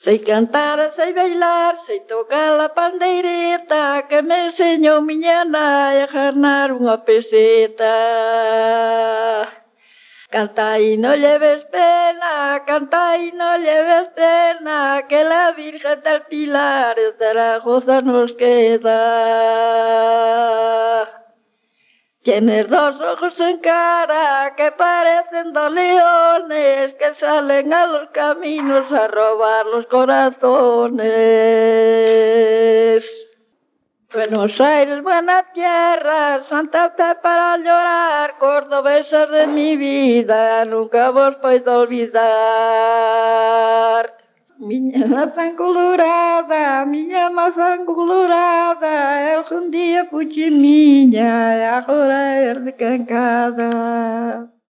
Sei cantar, sei bailar, sei tocar a pandeireta que me enseñou miña nai a jarnar unha peseta. Canta y no lleves pena, canta y no lleves pena, que la Virgen del Pilar de Zaragoza nos queda. Tienes dos ojos en cara que parecen dos leones que salen a los caminos a robar los corazones. Buenos Aires, buena tierra, Santa Fe para llorar, cordobesas de mi vida, nunca vos puedo olvidar. Miña maçã colorada, eu um dia puxi minha, agora é de cancada.